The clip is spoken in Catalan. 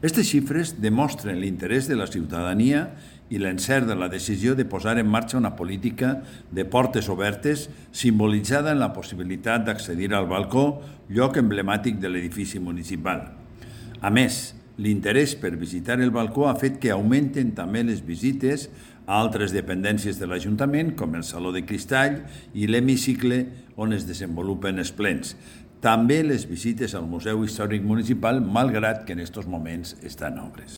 Aquestes xifres demostren l'interès de la ciutadania i l'encert de la decisió de posar en marxa una política de portes obertes simbolitzada en la possibilitat d'accedir al balcó, lloc emblemàtic de l'edifici municipal. A més, l'interès per visitar el balcó ha fet que augmenten també les visites a altres dependències de l'Ajuntament, com el Saló de Cristall i l'hemicicle on es desenvolupen els plens. També les visites al Museu Històric Municipal, malgrat que en aquests moments està en obres.